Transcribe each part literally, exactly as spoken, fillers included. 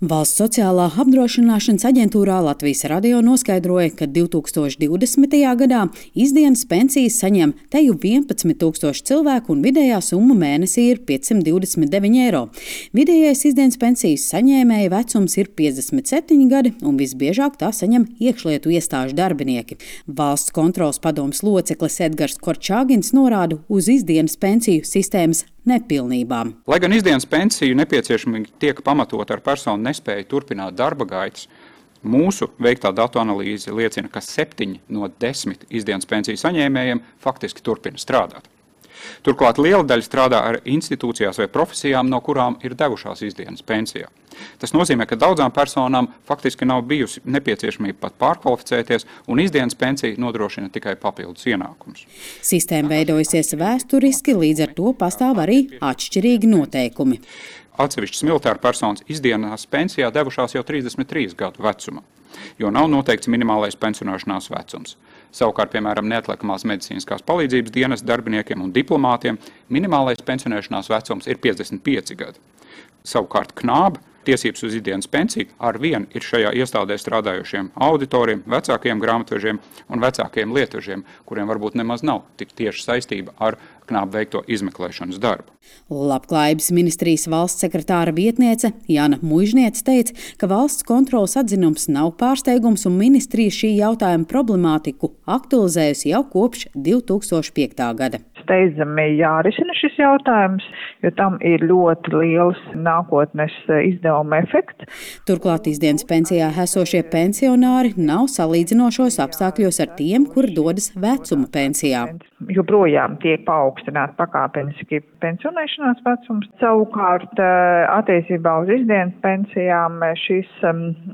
Valsts sociālā apdrošināšanas aģentūrā Latvijas Radio noskaidroja, ka divi tūkstoši divdesmitajā gadā izdienas pensijas saņem teju vienpadsmit tūkstoši cilvēku un vidējā summa mēnesī ir piecsimt divdesmit deviņi eiro. Vidējais izdienas pensijas saņēmēja vecums ir piecdesmit septiņi gadi un visbiežāk tā saņem iekšlietu iestāžu darbinieki. Valsts kontroles padomes loceklis Edgars Korčāgins norāda uz izdienas pensiju sistēmas nepilnībām. Lai gan izdienas pensiju nepieciešamīgi tiek pamatot ar personu nespēju turpināt darba gaitas, mūsu veiktā datu analīze liecina, ka septiņi no desmit izdienas pensiju saņēmējiem faktiski turpina strādāt. Turklāt liela daļa strādā ar institūcijās vai profesijām, no kurām ir devušās izdienas pensijā. Tas nozīmē, ka daudzām personām faktiski nav bijusi nepieciešamība pat pārkvalificēties, un izdienas pensija nodrošina tikai papildus ienākumus. Sistēma veidojusies vēsturiski, līdz ar to pastāv arī atšķirīgi noteikumi. Atsevišķas militāra personas izdienas pensijā devušās jau trīsdesmit trīs gadu vecumā, jo nav noteikts minimālais pensionēšanās vecums. Savukārt, piemēram, neatliekamās medicīniskās palīdzības dienas darbiniekiem un diplomātiem minimālais pensionēšanās vecums ir piecdesmit pieci gadi. Savukārt knāba tiesības uz izdienas pensiju ar vienu ir šajā iestādē strādājošiem auditoriem, vecākiem grāmatvežiem un vecākiem lietvežiem, kuriem varbūt nemaz nav tik tieši saistība ar knābu veikto izmeklēšanas darbu. Labklājības ministrijas valsts sekretāra vietniece Jāna Muižniece teica, ka valsts kontroles atzinums nav pārsteigums un ministrija šī jautājuma problemātiku aktualizējusi jau kopš divi tūkstoši piektā gada. Steidzami jārisina šis jautājums, jo tam ir ļoti liels nākotnes izdevuma efekts. Turklāt izdienas pensijā esošie pensionāri nav salīdzinošos apstākļos ar tiem, kuri dodas vecuma pensijā. Joprojām tiek paaugstināts pakāpeniski pensionēšanās vecums. Savukārt attiecībā uz izdienas pensijām šis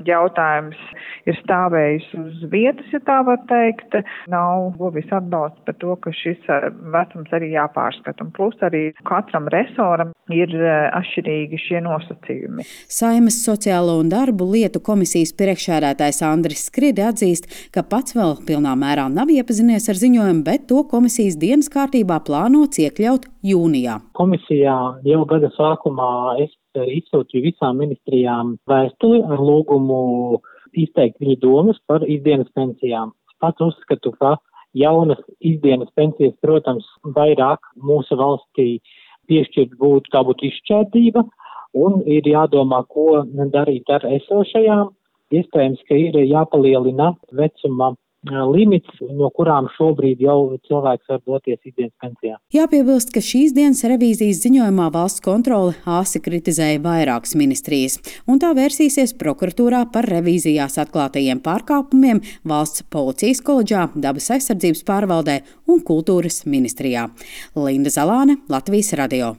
jautājums ir stājis uz vietas, ja tā var teikt. Nav guvis atbalsts par to, ka šis vecums arī jāpārskata. Un plus arī katram resoram ir atšķirīgi šie nosacījumi. Saeimas sociālo un darbu lietu komisijas priekšsēdētājs Andris Skride atzīst, ka pats vēl pilnā mērā nav iepazinies ar ziņojumu, bet to komisijas dienas kārtībā plānots iekļaut jūnijā. Komisijā jau gada sākumā es izsūtīju visām ministrijām vēstuli ar lūgumu izteikt viņu domas par izdienas pensijām. Pats uzskatu, ka jaunas izdienas pensijas, protams, vairāk mūsu valstī piešķirt būtu, tā būtu izšķērdība, un ir jādomā, ko darīt ar esošajām. Iespējams, ka ir jāpalielina vecuma limits, no kurām šobrīd jau cilvēks var doties izdienas pensijā. Jāpiebilst, ka šīs dienas revīzijas ziņojumā valsts kontrole āsi kritizēja vairākas ministrijas, un tā vērsīsies prokuratūrā par revīzijās atklātajiem pārkāpumiem Valsts policijas koledžā, dabas aizsardzības pārvaldē un kultūras ministrijā. Linda Zalāne, Latvijas Radio.